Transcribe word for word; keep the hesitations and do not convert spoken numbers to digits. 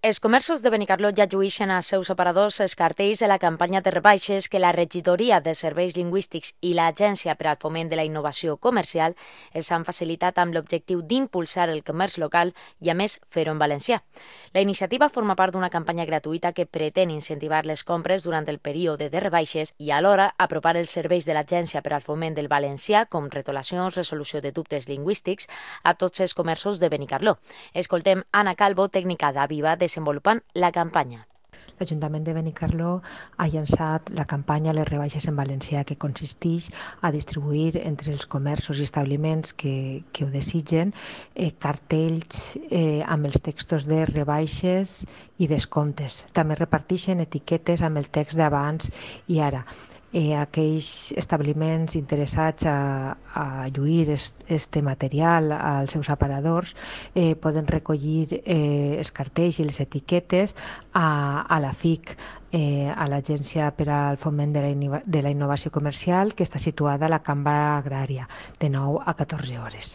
Els comerços de Benicarló ja lluïxen als seus operadors els cartells de la campanya de rebaixes que la Regidoria de Serveis Lingüístics i l'Agència per al Foment de la Innovació Comercial els han facilitat amb l'objectiu d'impulsar el comerç local i, a més, fer-ho en valencià. La iniciativa forma part d'una campanya gratuïta que pretén incentivar les compres durant el període de rebaixes i alhora apropar els serveis de l'Agència per al Foment del Valencià, com retolacions, resolució de dubtes lingüístics, a tots els comerços de Benicarló. Escoltem Anna Calvo, tècnica d'Aviva, desenvolupant la campanya. L'Ajuntament de Benicarló ha llançat la campanya Les rebaixes en valencià, que consisteix a distribuir entre els comerços i establiments que, que ho desitgen eh, cartells eh, amb els textos de rebaixes i descomptes. També reparteixen etiquetes amb el text d'abans i ara. Eh, aquells establiments interessats a, a lluir este material als seus aparadors eh, poden recollir eh, els cartells i les etiquetes a, a la F I C, eh, a l'Agència per al Foment de la, de la Innovació Comercial, que està situada a la Cambra Agrària, de nou a catorze hores.